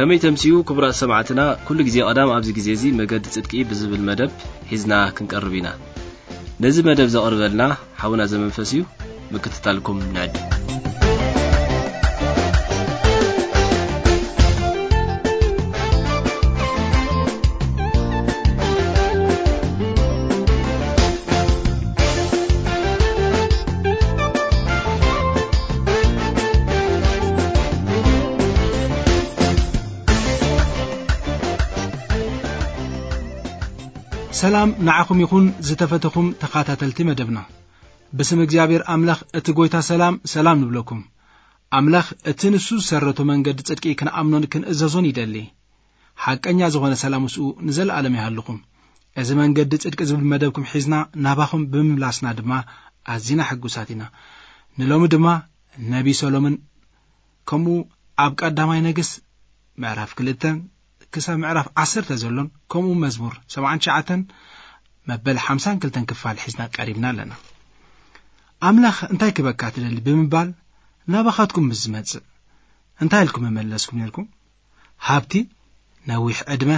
ከመይ ተምስዩ ክቡራት ሰማዕትና፣ ኩሉ ግዜ ቀዳም ኣብዚ ግዜ እዚ መገዲ ጽድቂ ብዝብል መደብ ሒዝና ክንቀርብ ኢና። ነዚ መደብ ዘቕርበልና ሓውና ዘመንፈስ እዩ። ምክትታልኩም ንዕድም። ሰላም ንዓኹም ይኹን ዝተፈተኹም ተኻታተልቲ መደብና። ብስም እግዚኣብሔር ኣምላኽ እቲ ጎይታ ሰላም፣ ሰላም ንብለኩም። ኣምላኽ እቲ ንሱ ዝሰረቶ መንገዲ ጽድቂ ክንኣምኖን ክንእዘዞን ይደሊ። ሓቀኛ ዝኾነ ሰላም ምስኡ ንዘለኣለም ይሃልኹም። እዚ መንገዲ ጽድቂ ዝብል መደብኩም ሒዝና ናባኹም ብምምላስና ድማ ኣዚና ሕጉሳት ኢና። ንሎሚ ድማ ነቢ ሰሎምን ከምኡ ኣብ ቀዳማይ ነገስ ምዕራፍ ክልተ ክሳብ ምዕራፍ ዓሰርተ ዘሎን ከምኡ መዝሙር ሰብዓን ትሽዓተን መበል ሓምሳን ክልተን ክፋል ሒዝና ቀሪብና ኣለና። ኣምላኽ እንታይ ክበካ ትደሊ ብምባል ናባኻትኩም ምስ ዝመጽእ እንታይ ኢልኩም መመለስኩም ነርኩም? ሃብቲ፣ ነዊሕ ዕድመ፣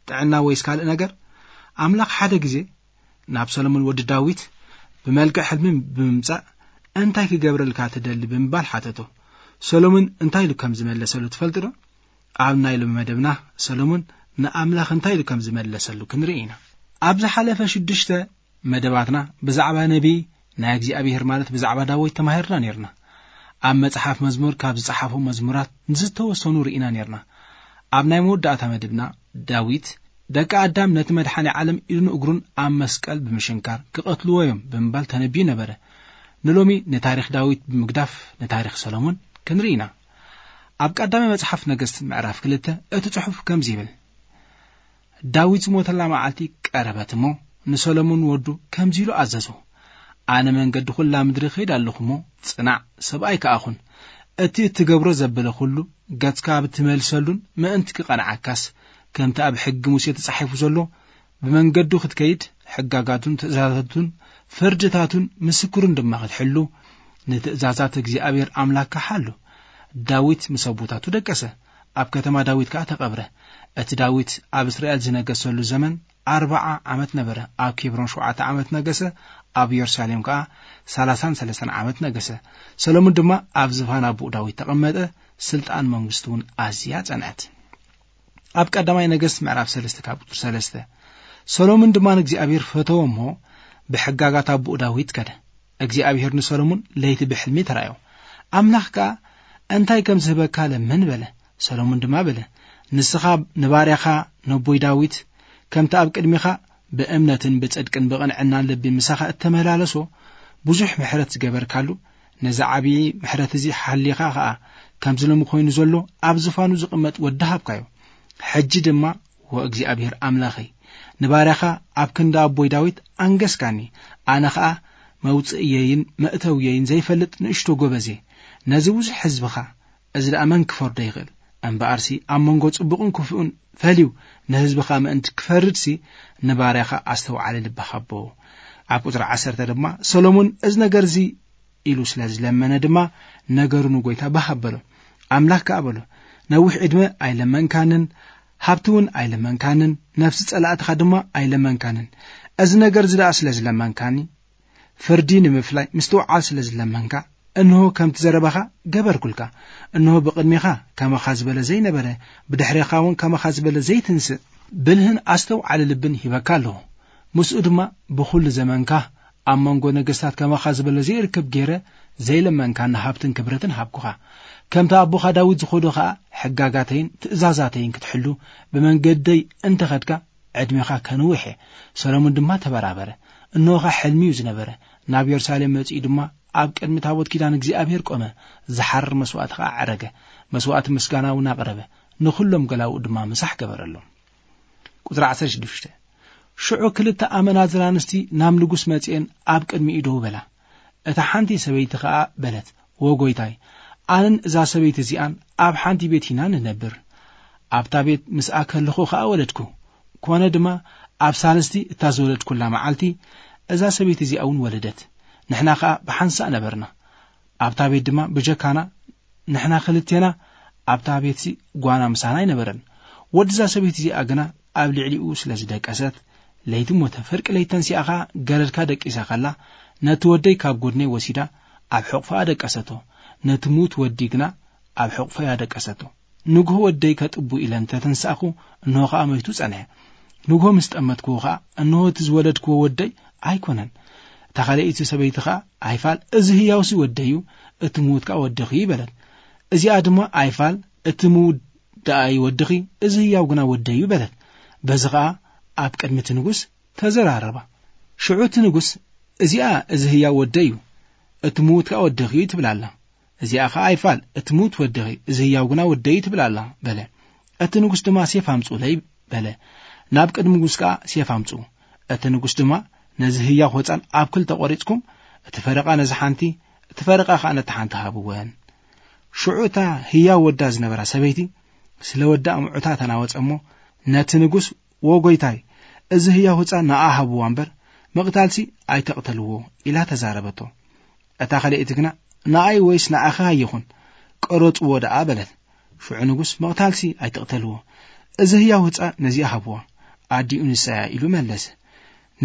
ጥዕና ወይስ ካልእ ነገር? ኣምላኽ ሓደ ግዜ ናብ ሰሎሞን ወዲ ዳዊት ብመልክዕ ሕልሚ ብምምጻእ እንታይ ክገብረልካ ትደሊ ብምባል ሓተቶ። ሰሎሞን እንታይ ኢሉ ከም ዝመለሰሉ ትፈልጡ ዶ? ኣብ ናይ ሎሚ መደብና ሰሎሞን ንኣምላኽ እንታይ ኢሉ ከም ዝመለሰሉ ክንርኢ ኢና። ኣብ ዝሓለፈ ሽዱሽተ መደባትና ብዛዕባ ነቢይ ናይ እግዚኣብሔር ማለት ብዛዕባ ዳዊት ተማሂርና ነርና። ኣብ መጽሓፍ መዝሙር ካብ ዝጸሓፉ መዝሙራት ንዝተወሰኑ ርኢና ነርና። ኣብ ናይ መወዳእታ መደብና ዳዊት ደቂ ኣዳም ነቲ መድሓኒ ዓለም ኢዱን እግሩን ኣብ መስቀል ብምሽንካር ክቐትልዎ እዮም ብምባል ተነቢዩ ነበረ። ንሎሚ ንታሪኽ ዳዊት ብምግዳፍ ንታሪኽ ሰሎሞን ክንርኢ ኢና። ኣብ ቀዳማይ መጽሓፍ ነገስት ምዕራፍ ክልተ እቲ ጽሑፍ ከምዚ ይብል። ዳዊት ዝሞተላ መዓልቲ ቀረበት እሞ ንሰሎሞን ወዱ ከምዚ ኢሉ ኣዘዞ። ኣነ መንገዲ ኩላ ምድሪ ኸይድ ኣለኹ እሞ ጽናዕ ሰብኣይ ከኣ ኹን። እቲ እትገብሮ ዘበለ ኩሉ ገጽካ ብትመልሰሉን ምእንቲ ክቐንዓካስ ከምቲ ኣብ ሕጊ ሙሴ ተጻሒፉ ዘሎ ብመንገዱ ክትከይድ ሕጋጋቱን ትእዛዛቱን ፍርድታቱን ምስክሩን ድማ ክትሕሉ ንትእዛዛት እግዚኣብሔር ኣምላክካ ሓሉ። ዳዊት ምስ ኣቦታቱ ደቀሰ፣ ኣብ ከተማ ዳዊት ከኣ ተቐብረ። እቲ ዳዊት ኣብ እስራኤል ዝነገሰሉ ዘመን ኣርብዓ ዓመት ነበረ። ኣብ ኬብሮን ሸውዓተ ዓመት ነገሰ፣ ኣብ የሩሳሌም ከኣ ሰላሳን ሰለስተን ዓመት ነገሰ። ሰሎሞን ድማ ኣብ ዝፋን ኣቦኡ ዳዊት ተቐመጠ። ስልጣን መንግስቱ እውን ኣዝያ ጸንዐት። ኣብ ቀዳማይ ነገስት ምዕራፍ ሰለስተ ካብ ቁጽሪ ሰለስተ፣ ሰሎሞን ድማ ንእግዚኣብሔር ፈተወ እሞ ብሕጋጋት ኣቦኡ ዳዊት ከደ። እግዚኣብሔር ንሰሎሞን ለይቲ ብሕልሚ ተራእዮ። ኣምላኽ ከኣ እንታይ ከም ዝህበካ ለምን በለ። ሰሎሞን ድማ በለ፣ ንስኻ ንባርያኻ ነቦይ ዳዊት ከምቲ ኣብ ቅድሚኻ ብእምነትን ብጽድቅን ብቕንዕናን ልቢ ምሳኻ እተመላለሶ ብዙሕ ምሕረት ዝገበርካሉ ነዚ ዓብዪ ምሕረት እዚ ሓሊኻ ኸኣ ከምዚ ሎሚ ኮይኑ ዘሎ ኣብ ዝፋኑ ዝቕመጥ ወዲ ሃብካዮ። ሕጂ ድማ ወእግዚኣብሔር ኣምላኸይ ንባርያኻ ኣብ ክንዲ ኣቦይ ዳዊት ኣንገስካኒ። ኣነ ኸኣ መውጽእየይን መእተውየይን ዘይፈልጥ ንእሽቶ ጎበዜ ነዚ ብዙሕ ህዝብኻ እዚ ደኣ መን ክፈርዶ ይኽእል? እምበኣርሲ ኣብ መንጎ ጽቡቕን ክፉእን ፈልዩ ንህዝብኻ ምእንቲ ክፈርድሲ ንባርያኻ ኣስተውዓሊ ልቢ ሃቦ። ኣብ ቁጽሪ ዓሰርተ ድማ ሰሎሞን እዚ ነገር እዚ ኢሉ ስለ ዝለመነ ድማ ነገሩ ንጎይታ ባህ ኣበሎ። ኣምላኽ ከኣ በሎ፣ ነዊሕ ዕድመ ኣይለመንካንን፣ ሃብቲ እውን ኣይለመንካንን፣ ነፍሲ ጸላእትኻ ድማ ኣይለመንካንን። እዚ ነገር እዚ ደኣ ስለ ዝለመንካኒ፣ ፍርዲ ንምፍላይ ምስትውዓል ስለ ዝለመንካ፣ እንሆ ከምቲ ዘረባኻ ገበርኩልካ። እንሆ ብቕድሜኻ ከማኻ ዝበለ ዘይነበረ፣ ብድሕሬኻ እውን ከማኻ ዝበለ ዘይትንስእ፣ ብልህን ኣስተውዓሊ ልብን ሂበካ ኣለኹ። ምስኡ ድማ ብኹሉ ዘመንካ ኣብ መንጎ ነገስታት ከማኻ ዝበለ ዘይርከብ ገይረ ዘይለመንካኒ ሃብትን ክብረትን ሃብኩኻ። ከምቲ ኣቦኻ ዳዊት ዝኸዶ ኸኣ ሕጋጋተይን ትእዛዛተይን ክትሕሉ ብመንገደይ እንተኸድካ ዕድሜኻ ከንውሕ እየ። ሰሎሞን ድማ ተበራበረ። እንሆ ኸኣ ሕልሚ እዩ ዝነበረ። ናብ የሩሳሌም መጺኡ ድማ ኣብ ቅድሚ ታቦት ኪዳን እግዚኣብሔር ቆመ። ዝሓርር መስዋእቲ ኸኣ ዓረገ። መስዋእቲ ምስጋና እውን ኣቕረበ። ንኹሎም ገላውኡ ድማ ምሳሕ ገበረሎም። ቁጽሪ ዓሰርተ ሽዱሽተ፣ ሽዑ ክልተ ኣመናዝራ ኣንስቲ ናብ ንጉስ መጺኤን ኣብ ቅድሚኡ ደው በላ። እታ ሓንቲ ሰበይቲ ኸኣ በለት፣ "ወ ጎይታይ፣ ኣነን እዛ ሰበይቲ እዚኣን ኣብ ሓንቲ ቤት ኢና ንነብር። ኣብታ ቤት ምስኣ ከለኹ ኸኣ ወለድኩ። ኮነ ድማ ኣብ ሳልስቲ እታ ዝወለድኩላ መዓልቲ እዛ ሰበይቲ እዚኣ እውን ወለደት። ንሕና ኸኣ ብሓንሳእ ነበርና። ኣብታ ቤት ድማ ብጀካና ንሕና ክልቴና ኣብታ ቤትሲ ጓና ምሳና ኣይነበረን። ወድዛ ሰበይቲ እዚኣ ግና ኣብ ልዕሊኡ ስለ ዝደቀሰት፣ ለይቲ ሞተ። ፍርቂ ለይቲ ተንሲኣ ኸኣ ገረድካ ደቂሳ ከላ፣ ነቲ ወደይ ካብ ጎድነይ ወሲዳ ኣብ ሕቑፋኣ ደቀሰቶ። ነቲ ምዉት ወዲ ግና ኣብ ሕቑፈያ ደቀሰቶ። ንግሆ ወደይ ከጥቡ ኢለ እንተ ተንሳእኹ፣ እንሆ ኸኣ መይቱ ጸንሐ። ንግሆ ምስ ጠመትክዎ ኸኣ፣ እንሆ እቲ ዝወለድክዎ ወደይ ኣይኮነን። እታ ካልኣይቲ ሰበይቲ ኸኣ፣ ኣይፋል፣ እዚ ህያውሲ ወደይ እዩ፣ እቲ ምዉት ከኣ ወድኺ እዩ በለት። እዚኣ ድማ፣ ኣይፋል፣ እቲ ምዉት ደኣ እዩ ወድኺ፣ እዚ ህያው ግና ወደይ እዩ በለት። በዚ ኸኣ ኣብ ቅድሚ እቲ ንጉስ ተዘራረባ። ሽዑ እቲ ንጉስ፣ እዚኣ እዚ ህያው ወደይ እዩ፣ እቲ ምዉት ከኣ ወድኺ እዩ ትብል ኣላ። እዚኣ ኸኣ፣ ኣይፋል፣ እቲ ምዉት ወድኺ፣ እዚ ህያው ግና ወደይ እዩ ትብል ኣላ በለ። እቲ ንጉስ ድማ፣ ሴፍ ኣምጽኡለይ በለ። ናብ ቅድሚ ንጉስ ከኣ ሴፍ ኣምጽኡ። እቲ ንጉስ ድማ፣ ነዚ ህያው ህጻን ኣብ ክልተ ቖሪጽኩም፣ እቲ ፈረቓ ነዚ ሓንቲ፣ እቲ ፈረቓ ከኣ ነቲ ሓንቲ ሃብወን። ሽዑ እታ ህያው ወዳ ዝነበራ ሰበይቲ ስለ ወዳ ምዑታ ተናወጸ እሞ፣ ነቲ ንጉስ፣ "ወ ጐይታይ፣ እዚ ህያው ህጻን ንኣ ሃብዋ እምበር፣ ምቕታልሲ ኣይተቕተልዎ" ኢላ ተዛረበቶ። እታ ካልኣይቲ ግና፣ "ንኣይ ወይስ ንኣኺ ኣይኹን፣ ቅረጽዎ ደኣ" በለት። ሽዑ ንጉስ፣ "ምቕታልሲ ኣይትቕተልዎ፣ እዚ ህያው ህጻን ነዚኣ ሃብዋ፣ ኣዲኡ ንሳ እያ" ኢሉ መለሰ።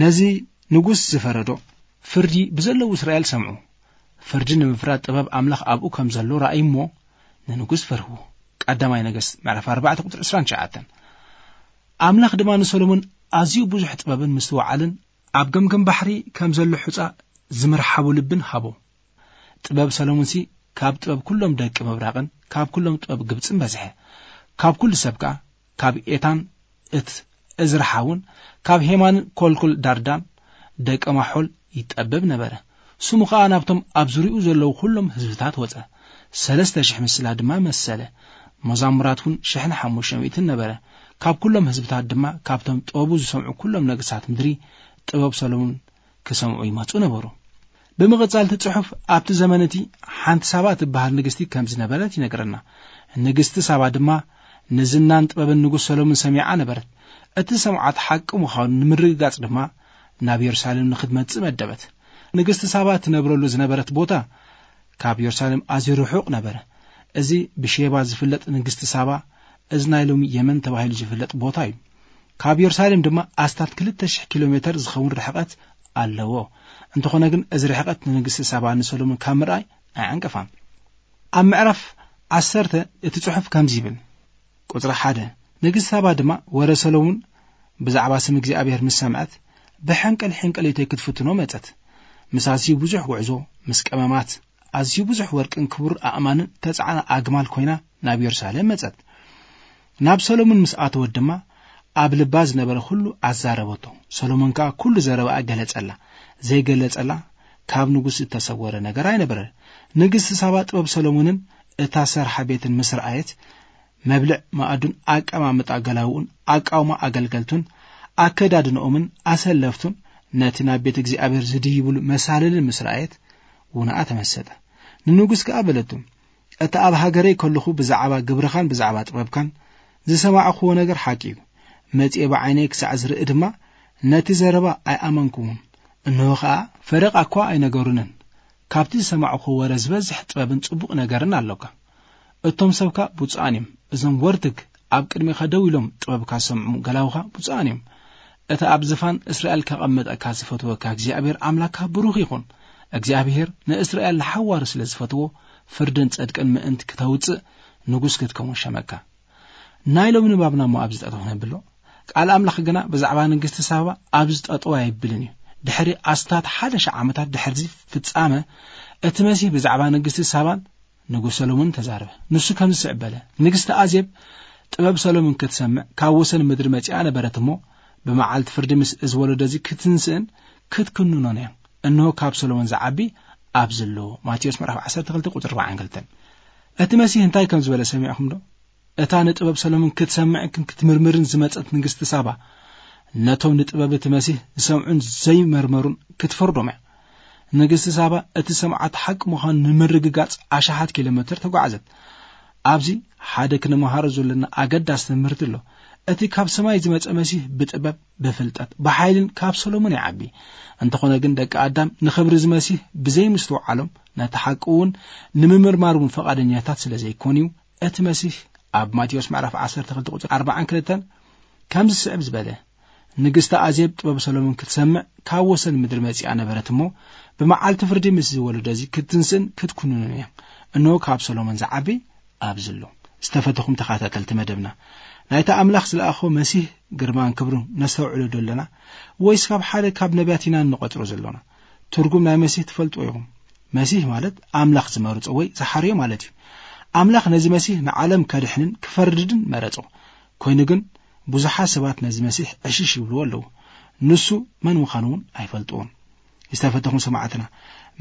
ነዚ ንጉስ ዝፈረዶ ፍርዲ ብዘለዉ እስራኤል ሰምዑ። ፍርዲ ንምፍራድ ጥበብ ኣምላኽ ኣብኡ ከም ዘሎ ረኣዩ እሞ፣ ንንጉስ ፈርህዎ። ቀዳማይ ነገስት ምዕራፍ ኣርባዕተ ቁጽሪ ዕስራን ትሽዓተን። ኣምላኽ ድማ ንሰሎሞን ኣዝዩ ብዙሕ ጥበብን ምስትውዓልን ኣብ ገምገም ባሕሪ ከም ዘሎ ሑጻ ዝምርሓቡ ልብን ሃቦ። ጥበብ ሰሎሞንሲ ካብ ጥበብ ኩሎም ደቂ ምብራቕን ካብ ኩሎም ጥበብ ግብጽን በዝሐ። ካብ ኩሉ ሰብ ከኣ ካብ ኤታን እት እዝራ ሓውን ካብ ሄማንን ኮልኩል ዳርዳን ደቂ ማሖል ይጠበብ ነበረ። ስሙ ኸኣ ናብቶም ኣብ ዙሪኡ ዘለዉ ኩሎም ህዝብታት ወጸ። ሰለስተ ሽሕ ምስላ ድማ መሰለ። መዛሙራት እውን ሽሕን ሓሙሽተ ሚእትን ነበረ። ካብ ኩሎም ህዝብታት ድማ ካብቶም ጥበቡ ዝሰምዑ ኩሎም ነገስታት ምድሪ ጥበብ ሰሎሞን ክሰምዑ ይመጹ ነበሩ። ብምቕጻል እቲ ጽሑፍ ኣብቲ ዘመን እቲ ሓንቲ ሳባ እትበሃል ንግስቲ ከም ዝነበረት ይነግረና። ንግስቲ ሳባ ድማ ንዝናን ጥበብን ንጉስ ሰሎሞን ሰሚዓ ነበረት። እቲ ሰምዓት ሓቂ ምዃኑ ንምርግጋጽ ድማ ናብ የሩሳሌም ንኽትመጽእ መደበት። ንግስቲ ሳባ ትነብረሉ ዝነበረት ቦታ ካብ የሩሳሌም ኣዝዩ ርሑቕ ነበረ። እዚ ብሼባ ዝፍለጥ ንግስቲ ሳባ፣ እዚ ናይ ሎሚ የመን ተባሂሉ ዝፍለጥ ቦታ እዩ። ካብ የሩሳሌም ድማ ኣስታት ክልተ ሽሕ ኪሎ ሜተር ዝኸውን ርሕቐት ኣለዎ። እንተኾነ ግን እዚ ርሕቐት ንንግስቲ ሳባ ንሰሎሞን ካብ ምርኣይ ኣይዓንቀፋን። ኣብ ምዕራፍ ዓሰርተ እቲ ጽሑፍ ከምዚ ይብል፣ ቁጽሪ ሓደ፣ ንግስቲ ሳባ ድማ ወረ ሰሎሞን ብዛዕባ ስም እግዚኣብሔር ምስ ሰምዐት፣ ብሕንቅል ሕንቅሊተይ ክትፍትኖ መጸት። ምስ ኣዝዩ ብዙሕ ጉዕዞ፣ ምስ ቀመማት፣ ኣዝዩ ብዙሕ ወርቅን ክቡር ኣእማንን ተጻዕና ኣግማል ኮይና ናብ የሩሳሌም መጸት። ናብ ሰሎሞን ምስ ኣተወት ድማ ኣብ ልባ ዝነበረ ኩሉ ኣዛረበቶ። ሰሎሞን ከኣ ኩሉ ዘረባኣ ገለጸላ። ዘይገለጸላ ካብ ንጉስ እተሰወረ ነገር ኣይነበረን። ንግስቲ ሳባ ጥበብ ሰሎሞንን እታ ሰርሓ ቤትን ምስ ረኣየት፣ መብልዕ መኣዱን ኣቀማምጣ ገላውኡን ኣቃውማ ኣገልገልቱን ኣከዳድንኦምን ኣሰለፍቱን ነቲ ናብ ቤት እግዚኣብሔር ዝድይብሉ መሳልልን ምስ ረኣየት ውንኣ ተመሰጠ። ንንጉስ ከኣ በለቱ፣ "እቲ ኣብ ሃገረይ ከለኹ ብዛዕባ ግብርኻን ብዛዕባ ጥበብካን ዝሰማዕኽዎ ነገር ሓቂ እዩ። መጺኤ ብዓይነይ ክሳዕ ዝርኢ ድማ ነቲ ዘረባ ኣይኣመንኩዎን። እንሆ ኸኣ ፈረቓ እኳ ኣይነገሩንን። ካብቲ ዝሰማዕኽዎ ወረ ዝበዝሕ ጥበብን ጽቡቕ ነገርን ኣሎካ። እቶም ሰብካ ብፁዓን እዮም። እዞም ወርትግ ኣብ ቅድሜኻ ደው ኢሎም ጥበብካ ዝሰምዑ ገላውኻ ብፁዓን እዮም። እቲ ኣብ ዝፋን እስራኤል ከቐምጠካ ዝፈትወካ እግዚኣብሔር ኣምላክካ ብሩኽ ይኹን። እግዚኣብሔር ንእስራኤል ንሓዋሩ ስለ ዝፈትዎ ፍርድን ጽድቅን ምእንቲ ክተውጽእ ንጉስ ክትከውን ሸመካ." ናይ ሎሚ ንባብና እሞ ኣብዚ ጠጠው ነብሎ። ቃል ኣምላኽ ግና ብዛዕባ ንግስቲ ሳባ ኣብዚ ጠጠው ኣይብልን እዩ። ድሕሪ ኣስታት ሓደ ሽሕ ዓመታት ድሕርዚ ፍጻመ፣ እቲ መሲህ ብዛዕባ ንግስቲ ሳባን ንጉስ ሰሎሞን ተዛረበ። ንሱ ከምዚ ስዕብ በለ፣ ንግስቲ ኣዜብ ጥበብ ሰሎሞን ክትሰምዕ ካብ ወሰን ምድሪ መጺኣ ነበረት እሞ፣ ብመዓልቲ ፍርዲ ምስ እዚ ወለዶ እዚ ክትንስእን ክትክንኖን እያ። እንሆ ካብ ሰሎሞን ዝዓቢ ኣብዚ ኣሎ። ማቴዎስ ምዕራፍ ዓሰርተ ክልተ ቁጽሪ ኣርባዓን ክልተን። እቲ መሲህ እንታይ ከም ዝበለ ሰሚዕኹም ዶ? እታ ንጥበብ ሰሎሞን ክትሰምዕን ክትምርምርን ዝመጸት ንግስቲ ሳባ፣ ነቶም ንጥበብ እቲ መሲህ ዝሰምዑን ዘይመርመሩን ክትፈርዶም እያ። ንግስቲ ሳባ እቲ ሰምዓት ሓቂ ምዃኑ ንምርግጋጽ ኣሽሓት ኪሎ ሜተር ተጓዕዘት። ኣብዚ ሓደ ክንመሃሮ ዘለና ኣገዳሲ ትምህርቲ ኣሎ። እቲ ካብ ሰማይ ዝመጸ መሲህ ብጥበብ፣ ብፍልጠት፣ ብሓይልን ካብ ሰሎሞን ይዓቢ። እንተኾነ ግን ደቂ ኣዳም ንኽብሪ እዚ መሲህ ብዘይምስትውዓሎም ነቲ ሓቂ እውን ንምምርማር እውን ፈቓደኛታት ስለ ዘይኮኑ እዩ እቲ መሲህ ኣብ ማቴዎስ ምዕራፍ ዓሰርተ ክልተ ቁጽሪ ኣርባዓን ክልተን ከምዚ ዝስዕብ ዝበለ፣ ንግስቲ ኣዜብ ጥበብ ሰሎሞን ክትሰምዕ ካብ ወሰን ምድሪ መጺኣ ነበረት እሞ፣ ብመዓልቲ ፍርዲ ምስ ዝወለዶ እዚ ክትንስእን ክትኩንኑን እያ። እንሆ ካብ ሰሎሞን ዝዓቢ ኣብዚ ኣሎ። ዝተፈተኹም ተኸታተልቲ መደብና፣ ናይታ ኣምላኽ ዝለኣኾ መሲህ ግርማን ክብሩን ነስተውዕሎ ዶ ኣለና? ወይስ ካብ ሓደ ካብ ነቢያት ኢና እንቆጽሮ ዘሎና? ትርጉም ናይ መሲህ ትፈልጥዎ ኢኹም። መሲህ ማለት ኣምላኽ ዝመርጾ ወይ ዝሓርዮ ማለት እዩ። ኣምላኽ ነዚ መሲህ ንዓለም ከድሕንን ክፈርድን መረጾ። ኮይኑ ግን ብዙሓት ሰባት ነዚ መሲህ ዕሽሽ ይብልዎ ኣለዉ። ንሱ መን ምዃኑ እውን ኣይፈልጥዎን። ዝተፈተኹም ሰማዕትና፣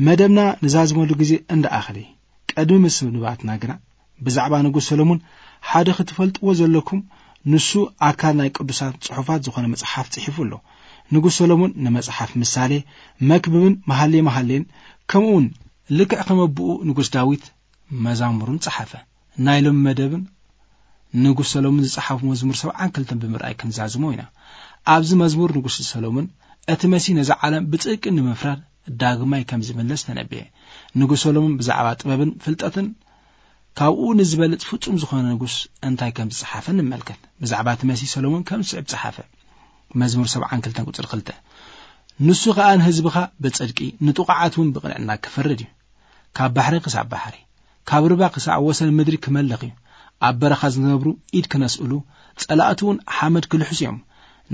መደብና ንዛዝመሉ ግዜ እንዳኣኸለ እዩ። ቅድሚ ምስንባትና ግና ብዛዕባ ንጉስ ሰሎሞን ሓደ ክትፈልጥዎ ዘለኩም፣ ንሱ ኣካል ናይ ቅዱሳት ጽሑፋት ዝኾነ መጽሓፍ ጽሒፉ ኣሎ። ንጉስ ሰሎሞን ንመጽሓፍ ምሳሌ፣ መክብብን መሃሌ መሃሌን፣ ከምኡውን ልክዕ ከም ኣቦኡ ንጉስ ዳዊት መዛሙርን ጸሓፈ። ናይ ሎሚ መደብን ንጉስ ሰሎሞን ዝጸሓፉ መዝሙር ሰብዓን ክልተን ብምርኣይ ክንዛዝሞ ኢና። ኣብዚ መዝሙር ንጉስ ሰሎሞን እቲ መሲህ ነዛ ዓለም ብጽድቂ ንምፍራድ ዳግማይ ከም ዝምለስ ተነብየ። ንጉስ ሰሎሞን ብዛዕባ ጥበብን ፍልጠትን ካብኡ ንዝበልጽ ፍጹም ዝኾነ ንጉስ እንታይ ከም ዝጸሓፈ ንመልከት። ብዛዕባ እቲ መሲህ ሰሎሞን ከም ዝስዕብ ጸሓፈ። መዝሙር ሰብዓን ክልተን ቁጽሪ ክልተ፣ ንሱ ኸኣ ንህዝብኻ ብጽድቂ ንጥቑዓት እውን ብቕንዕና ክፈርድ እዩ። ካብ ባሕሪ ክሳብ ባሕሪ፣ ካብ ርባ ክሳብ ወሰን ምድሪ ክመልኽ እዩ። ኣብ በረኻ ዝነብሩ ኢድ ክነስእሉ፣ ጸላእቱ እውን ሓመድ ክልሕሱ እዮም።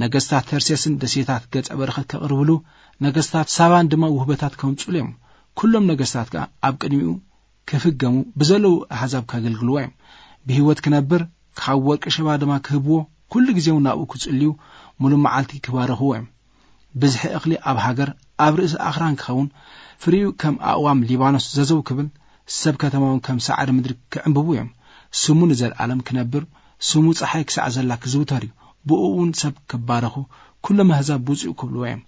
ነገስታት ተርሴስን ደሴታት ገጸ በረኸት ከቕርብሉ፣ ነገስታት ሳባን ድማ ውህበታት ከምጽሉ እዮም። ኩሎም ነገስታት ከኣ ኣብ ቅድሚኡ ክፍገሙ፣ ብዘለዉ ኣሕዛብ ከገልግልዎ እዮም። ብህይወት ክነብር፣ ካብ ወርቂ ሸባ ድማ ክህብዎ፣ ኩሉ ግዜ እውን ናብኡ ክጽልዩ፣ ሙሉእ መዓልቲ ክባርኽዎ እዮም። ብዝሒ እኽሊ ኣብ ሃገር፣ ኣብ ርእሲ ኣኽራን ክኸውን፣ ፍሪኡ ከም ኣእዋም ሊባኖስ ዘዘው ክብል፣ ሰብ ከተማውን ከም ሳዕሪ ምድሪ ክዕምብቡ እዮም። ስሙ ንዘለኣለም ክነብር፣ ስሙ ጸሓይ ክሳዕ ዘላ ክዝውተር እዩ። ብእኡ እውን ሰብ ክባረኹ፣ ኩሎም ኣህዛብ ብፁዕ ክብልዎ እዮም።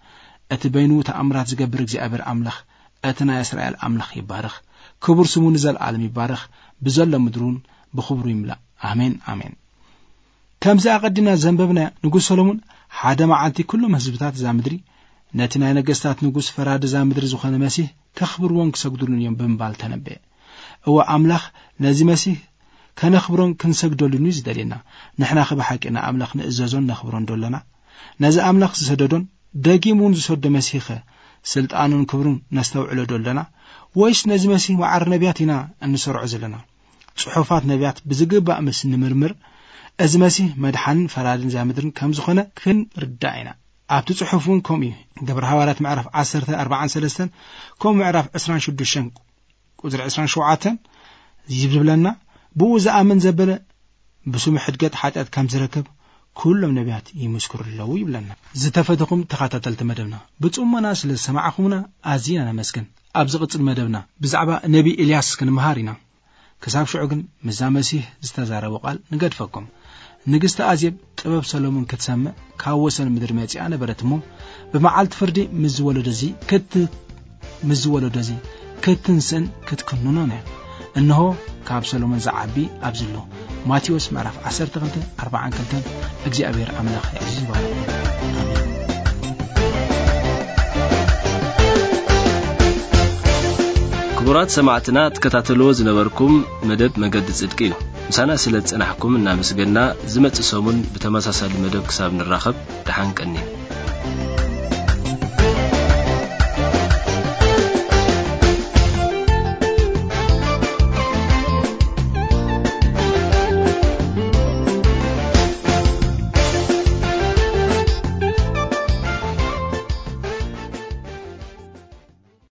እቲ በይኑ ተኣምራት ዝገብር እግዚኣብሔር ኣምላኽ፣ እቲ ናይ እስራኤል ኣምላኽ ይባረኽ። ክቡር ስሙ ንዘለኣለም ይባረኽ። ብዘሎ ምድሪ እውን ብኽብሩ ይምላእ። ኣሜን፣ ኣሜን። ከምዚ ኣቐዲምና ዘንበብናዮ፣ ንጉስ ሰሎሞን ሓደ መዓልቲ ኩሎም ህዝብታት እዛ ምድሪ ነቲ ናይ ነገስታት ንጉስ ፈራዲ እዛ ምድሪ ዝኾነ መሲህ ከኽብርዎን ክሰግዱሉን እዮም ብምባል ተነበየ። እወ፣ ኣምላኽ ነዚ መሲህ ከነኽብሮን ክንሰግደሉን እዩ ዝደልየና። ንሕናኸ ብሓቂ ንኣምላኽ ንእዘዞን ነኽብሮን ዶ ኣለና? ነዚ ኣምላኽ ዝሰደዶን ደጊሙ እውን ዝሰዶ መሲህኸ ስልጣኑን ክብሩን ነስተውዕሎ ዶ ኣለና? ወይስ ነዚ መሲህ መዓር ነቢያት ኢና እንሰርዖ ዘለና? ጽሑፋት ነቢያት ብዝግባእ ምስ ንምርምር፣ እዚ መሲህ መድሓንን ፈራድን እዛ ምድርን ከም ዝኾነ ክንርዳእ ኢና። ኣብቲ ጽሑፍ እውን ከምኡ እዩ። ግብረ ሃዋርያት ምዕራፍ ዓሰርተ ኣርባዓን ሰለስተን፣ ከምኡ ምዕራፍ ዕስራን ሽዱሽተን ቁጽሪ ዕስራን ሸውዓተን ዝብለና፣ ብኡ ዝኣምን ዘበለ ብስሙ ሕድገት ሓጢኣት ከም ዝረክብ ኩሎም ነቢያት ይምስክሩ ኣለዉ ይብለና። ዝተፈተኹም ተኸታተልቲ መደብና፣ ብጽሞና ስለ ዝሰማዕኹምና ኣዚና ነመስግን። ኣብ ዝቕጽል መደብና ብዛዕባ ነቢ ኤልያስ ክንመሃር ኢና። ክሳብ ሽዑ ግን ምስዛ መሲህ ዝተዛረቦ ቃል ንገድፈኩም። ንግስቲ ኣዜብ ጥበብ ሰሎሞን ክትሰምዕ ካብ ወሰን ምድሪ መጺኣ ነበረት እሞ፣ ብመዓልቲ ፍርዲ ምስ ዝወለዶ እዚ ክት-፣ ምስ ዝወለዶ እዚ ክትንስእን ክትክንኖን እያ። እንሆ ካብ ሰሎሞን ዝዓቢ ኣብዚ ኣሎ። ማቴዎስ ምዕራፍ ዓሰርተ ክልተ ኣርባዓን ክልተን። እግዚኣብሔር ኣምላኽ የዕዝዝ ይባርኽኩም። ኣሜን። ክቡራት ሰማዕትና፣ ትከታተልዎ ዝነበርኩም መደብ መገዲ ጽድቂ እዩ። ምሳና ስለ ዝጸናሕኩም እናመስገና፣ ዝመጽእ ሰሙን ብተመሳሳሊ መደብ ክሳብ ንራኸብ፣ ደሓን ቀኒ።